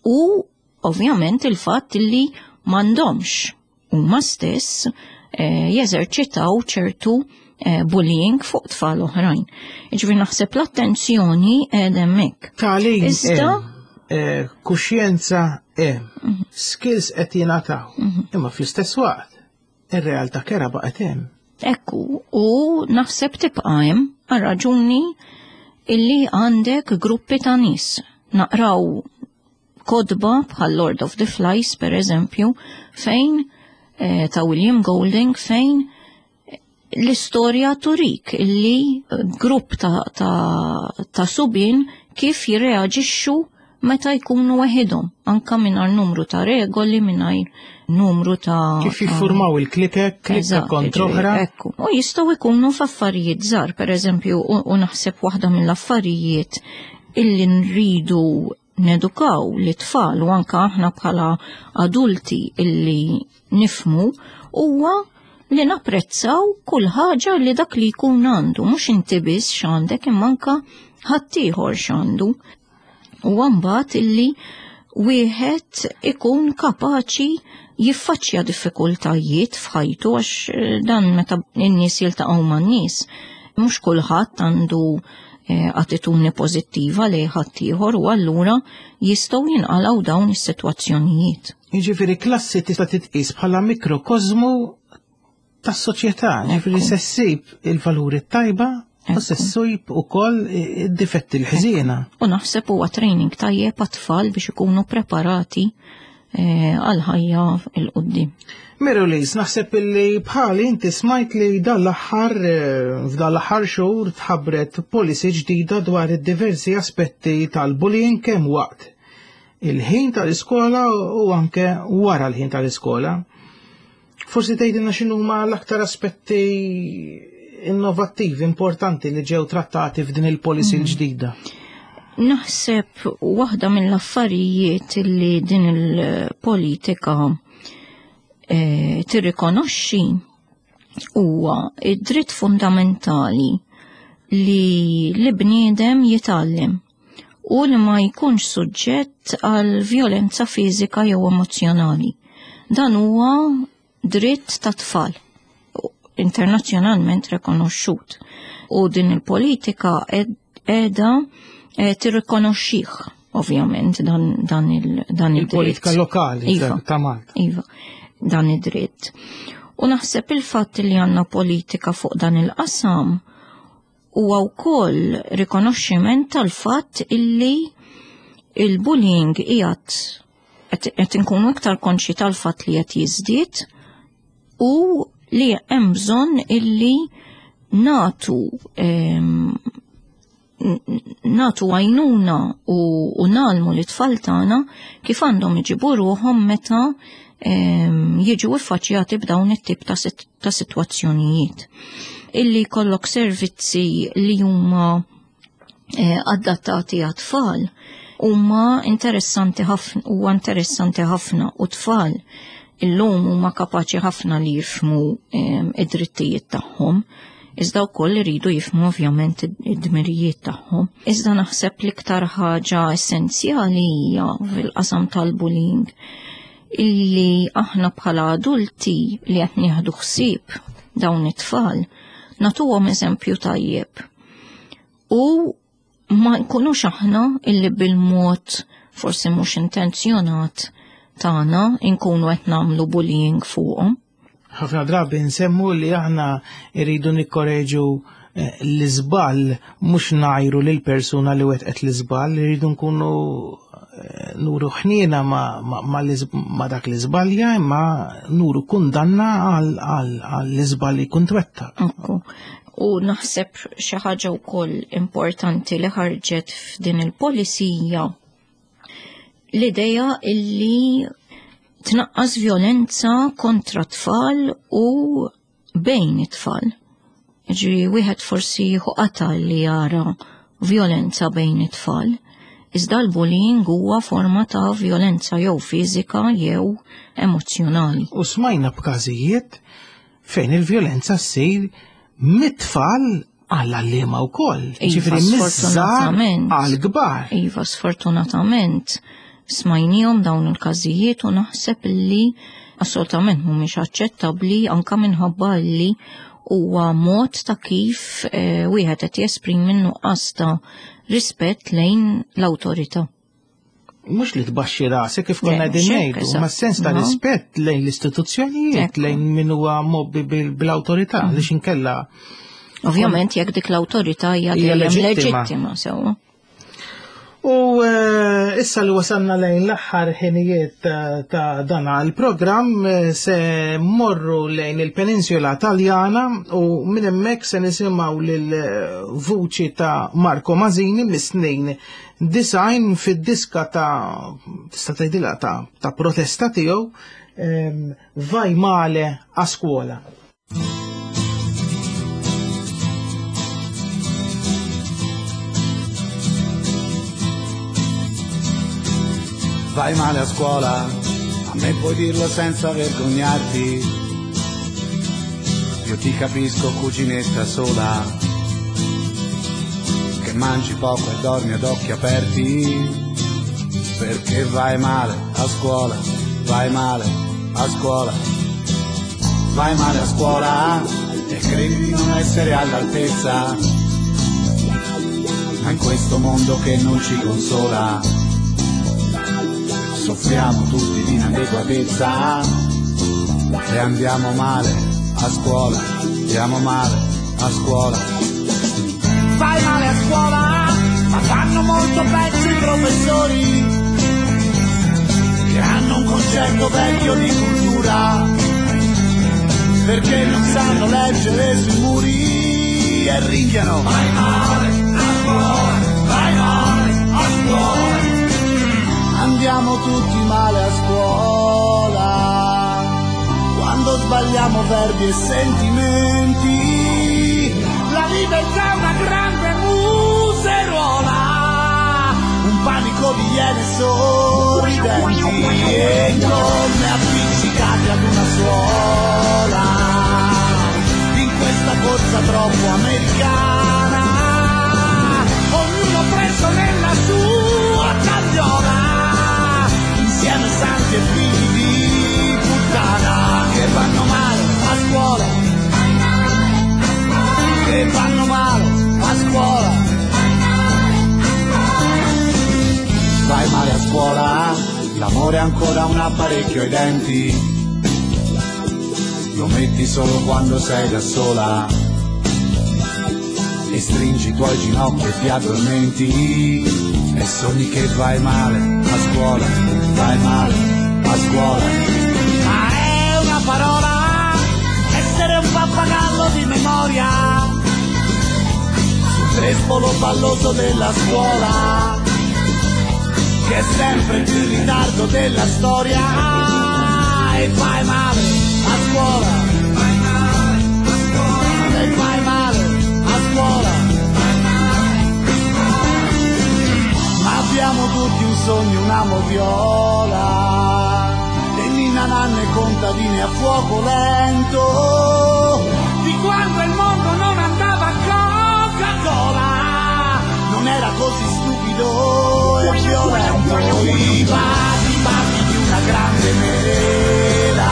U ovvjament il-fatt li m'għandhomx huma stess, eh, jeżerċitaw ċertu, eh, bullying fuq tfal oħrajn. Jiġifieri naħseb l-attenzjoni qiegħda hemmhekk. Tagħlim Iżda hemm, eh, kuxjenza hemm, Mhm. skills qed jingħataw, Mhm. imma fl-istess waqt ir-realtà kera baqgħet hemm. Ekku, u naħseb tibqa' hemm għal raġuni illi għandek gruppi ta' nies. Naqraw kodba bħal Lord of the Flies, per eżempju, fejn, eh, ta' William Golding, fejn l-istorja turik illi grupp ta', ta', ta' subien kif jirreaġixxu meta jkunu waħedhom, anka mingħajr numru ta' regoli, mingħajr numru ta' Kif jiffurmaw il-klikek, klikka Eżatt, kontra ġifieri, oħra. Ekku. U jistgħu jkunu f'affarijiet żgħar, per eżempju, u, u naħseb waħda mill-affarijiet illi nridu nedukaw l-tfal u anka aħna bħala adulti illi nifmu huwa li napprezzaw kull ħaġa li dak li jkun għandu, mhux inti biss x'għandek imma anka ħaddieħor x'għandu. U mbagħad illi wieħed ikun kapaċi jiffaċċja diffikultajiet f'ħajtu għax, eh, dan meta n-nies jiltaqgħu man-nies, mhux kulħadd għandu, eh, attitudni pożittiva lejn ħaddieħor u allura jistgħu jinqalgħu dawn is-sitwazzjonijiet. Jiġifieri klassi tista' titqis bħala mikrokosmu tas-soċjetà, jiġifieri Ekku. se ssib il-valuri tajba u Ekku. se ssib ukoll id-difetti l-ħżiena. U naħseb huwa training tajjeb għat-tfal biex ikunu preparati, eh, għal ħajja il quddiem. Mary-Louise, naħseb illi bħali inti smajt li dan l-aħħar, eh, f'dan l-aħħar xhur tħabbret policy ġdida dwar id-diversi aspetti tal-bullying kemm waqt il-ħin tal-iskola u anke wara l-ħin tal-iskola. Forsi tgħidilna x'inhuma l-aktar aspetti innovattivi importanti li ġew trattati f'din il-policy Mm. l-ġdida. Naħseb waħda mill-affarijiet li din il-politika, eh, tirrikonoxxi huwa id-dritt fundamentali li l-bniedem jitgħallem u li ma jkunx suġġett għal vjolenza fiżika jew emozjonali. Dan huwa dritt ta' tfal internazzjonalment rikonoxxut. U din il-politika ed-, qiegħda, eh, tirrikonoxxih, ovvjament, dan, dan il-, dan id-dritt. Il-politika lokali Iva. ta' Malta. Iva, dan id-dritt. U naħseb il-fatt li għandna politika fuq dan il-qasam huwa wkoll rikonoxximent tal-fatt illi il-bullying qiegħed qed inkunu iktar konxi tal-fatt li qed jiżdied u li hemm bżonn illi natu ehm, natu għajnuna u, u nalmu li tfal tagħna kif għandhom iġibu ruħhom meta ehm, jiġu iffaċċjati b'dawn it-tip ta', sit ta' sitwazzjonijiet. Illi jkollok servizzi li huma eh, adattati għat-tfal huma interessanti ħafna huwa interessanti ħafna u tfal illum huma kapaċi ħafna li jifhmu ehm, id-drittijiet tagħhom. Iżda wkoll iridu jifhmu ovvjament id-dmirijiet tagħhom. Iżda naħseb l-iktar ħaġa essenzjali hija fil-qasam tal-bullying illi aħna bħala adulti li qed nieħdu ħsieb dawn it-tfal nagħtuhom eżempju tajjeb. U ma nkunux aħna illi bil-mod forsi mhux intenzjonat tagħna nkunu qed nagħmlu bullying fuqhom. Ħafna drabi nsemmu li aħna rridu nikkoreġu eh, l-iżball mhux ngħajru lil persuna li wettqet l-iżball, irridu nkunu eh, nuru ħniena ma, ma, ma, ma dak l-iżbalja imma nuru kundanna għall-iżball li jkun twettaq. Ekku. U naħseb xi ħaġa wkoll importanti li ħarġet f'din il-polizija l-idea illi tnaqqas violenza kontra tfal u bejn it-tfal. Ġi wieħed forsi jieħu qata li jara violenza bejn it-tfal, iżda l-bullying huwa forma ta' violenza jew fiżika jew emozzjonali. U smajna b'każijiet fejn il-violenza ssir mit-tfal għall-għalliema wkoll. Iva, Ġifieri miż-żgħar sfortunatament. għall-kbar. Iva, sfortunatament, smajnihom dawn il-każijiet u naħseb li assolutament mhumiex aċċettabbli anka minħabba li huwa mod ta' kif eh, wieħed qed jesprimi nuqqas ta' rispett lejn l-awtorità. Mhux li tbaxxi rasek kif konna Le, qegħdin mhux hekk, ngħidu, eżatt. ma sens ta' No. rispett lejn l-istituzzjonijiet, Ekku. lejn min huwa mobbi bil- bil-awtorità, għaliex inkella Ovvjament jekk dik l-awtorità hija Hija dejjem leġittima. leġittima sewwa. U eh, issa li wasalna lejn l-aħħar ħinijiet ta' ta' dan il-programm eh, se morru lejn il-Peninsula Taljana u minn hemmhekk se nisimgħu lil eh, vuċi ta' Marco Masini mis-snin design fid-diska ta' tista' tgħidilha ta' ta' protesta tiegħu ehm, Vai male a scuola. Vai male a scuola, a me puoi dirlo senza vergognarti. Io ti capisco, cuginetta sola, che mangi poco e dormi ad occhi aperti. Perché vai male a scuola, vai male a scuola, vai male a scuola e credi di non essere all'altezza. Ma in questo mondo che non ci consola, soffriamo tutti di inadeguatezza e andiamo male a scuola, andiamo male a scuola. Vai male a scuola, ma fanno molto peggio i professori che hanno un concetto vecchio di cultura perché non sanno leggere sui muri e ringhiano. Vai male a scuola, vai male a scuola. Andiamo tutti male a scuola, quando sbagliamo verbi e sentimenti. La libertà è una grande museruola, un panico di iene sorridenti e gomme appiccicate ad una suola. In questa corsa troppo americana, ognuno preso nella sua tagliola, insieme santi e figli di puttana che vanno male a scuola, che vanno male a scuola. Vai male a scuola, l'amore è ancora un apparecchio ai denti. Lo Lo metti solo quando sei da sola e stringi i tuoi ginocchi e ti addormenti e sogni che vai male a scuola, vai male a scuola. Ma è una parola, essere un pappagallo di memoria, sul trespolo palloso della scuola, che è sempre più in ritardo della storia. E fai male a scuola, fai male a scuola, e fai male a scuola, fai male a scuola. Ma abbiamo tutti un sogno, una moviola, e ninna nanne contadine a fuoco lento, di quando il mondo non andava a Coca-Cola, non era così stupido e violento. I vasi, vasi di una grande mela,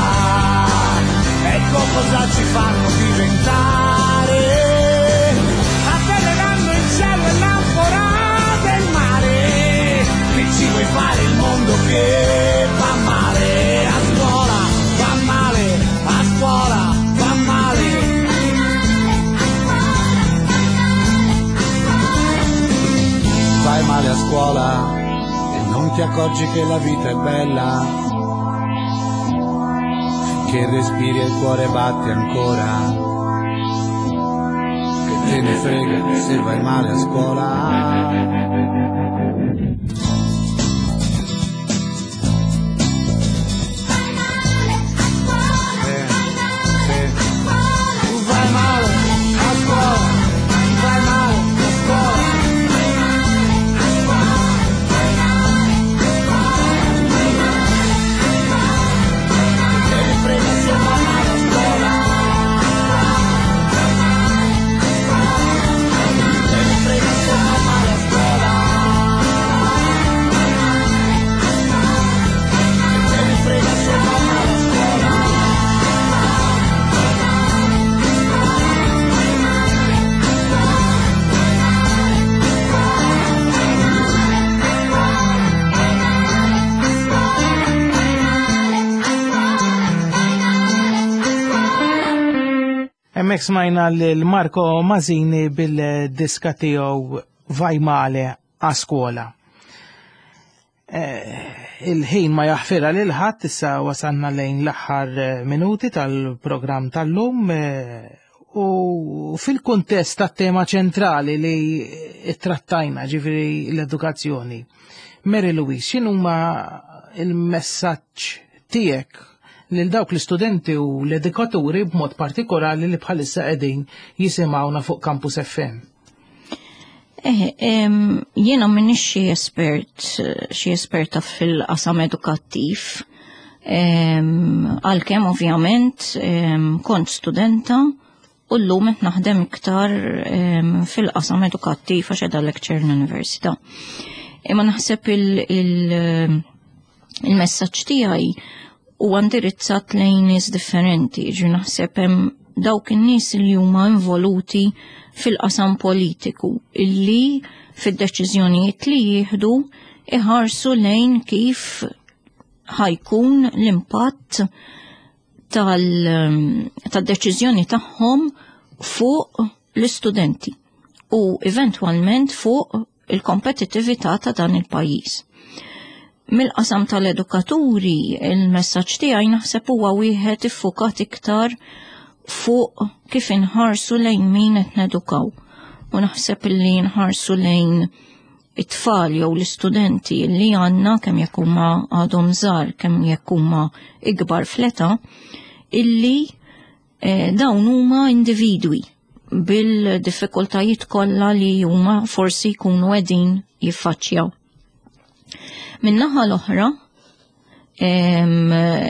ecco cosa ci fanno diventare, avvelenando il cielo e l'anfora del mare. Che ci vuoi fare, il mondo che va male a scuola, va male a scuola, va male. Fai male a scuola e non ti accorgi che la vita è bella, che respiri e il cuore batte ancora, che te ne frega se vai male a scuola. Vai male a scuola, vai male a scuola. Hemmhekk smajna lil Marco Masini bil-diska tiegħu Vai Male a Scuola. Il-ħin ma jaħfirha lil ħadd, issa wasalna lejn l-aħħar minuti tal-programm tal-lum, u fil-kuntest tat-tema ċentrali li trattajna, ġifieri l-edukazzjoni. Mary Louise, x'inhuma il-messaġġ tiegħek lil dawk l-istudenti u l-edukaturi b'mod partikolari li bħalissa qegħdin jisimgħuna fuq Campus F M? Eh, jiena m'iniex xi espert, xi esperta fil-qasam edukattiv, għalkemm ovvjament kont studenta u llum qed naħdem iktar fil-qasam edukattiv għax qiegħda lecture l-università. Imma naħseb il-messaġġ tiegħi huwa indirizzat lejn nies differenti, ġi naħseb hemm dawk in-nies li huma involuti fil-qasam politiku illi fid-deċiżjonijiet li jieħdu iħarsu lejn kif ħajkun l-impatt tal-deċiżjoni tagħhom fuq l-istudenti u eventwalment fuq il-kompetittività ta' dan il-pajjiż. Mill-qasam tal-edukaturi, il-messaġġ tiegħi naħseb huwa wieħed iffukat iktar fuq kif inħarsu lejn min qed nedukaw. U naħseb li nħarsu lejn it-tfal jew l-istudenti li għandna kemm jekk huma għadhom żgħar, kemm jekk huma ikbar fl-età, illi eh, dawn huma individwi bil-diffikultajiet kollha li huma forsi jkunu qegħdin jiffaċċjaw. Min-naħa l-oħra,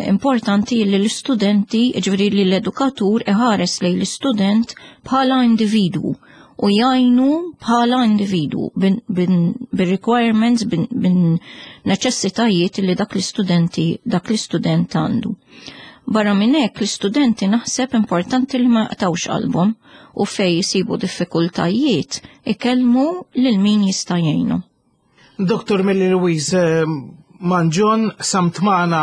importanti li l-istudenti, ġifieri li l-edukatur iħares lejn l-istudent bħala individwu u jgħinu bħala individwu bil-requirements, bin-neċessitajiet li dak l-istudenti, dak l-istudent għandu. Barra minn hekk l-istudenti naħseb importanti li ma jaqtawx qalbhom u fej jisibu diffikultajiet ikellmu lil min jista' jgħinu. Doktor Mary Louise, Manġon samt magħna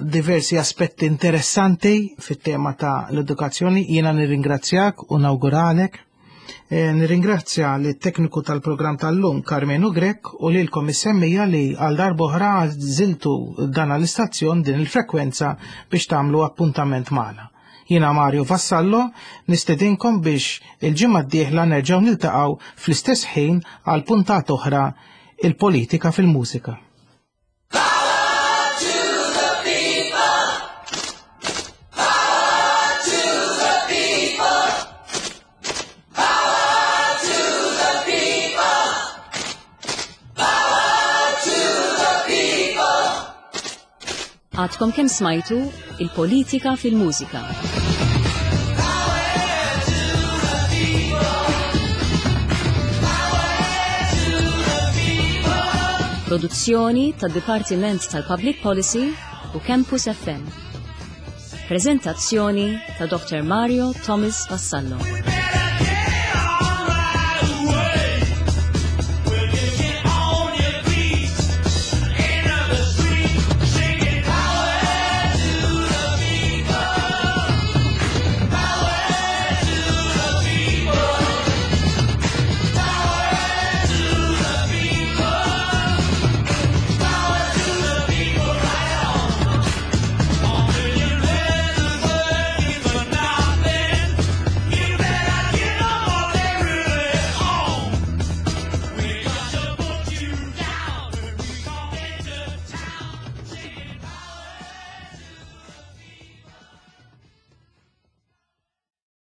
diversi aspetti interessanti fit-tema ta' l-edukazzjoni. Jiena nirringrazzjak u nawguralek. Eh, nirringrazzja li tekniku tal-programm tal-lum Carmenu Grech u lilkom is-semmiegħa li għal darb'oħra għażiltu dan l-istazzjon, din il-frekwenza, biex tagħmlu appuntament magħna. Jiena Mario Vassallo, nistedinkom biex il-ġimgħa d-dieħla nerġgħu niltaqgħu fl-istess ħin għal puntat oħra, Il-Politika fil-Mużika. Power to the people! Power to the people! Power to the people! Power to the people! Għadkom kemm smajtu Il-Politika fil-Mużika. Power to the people! Power to the people! Produzzjoni tad-Dipartiment tal-Public Policy u Campus F M. Prezentazzjoni ta' Doctor Mario Thomas Vassallo.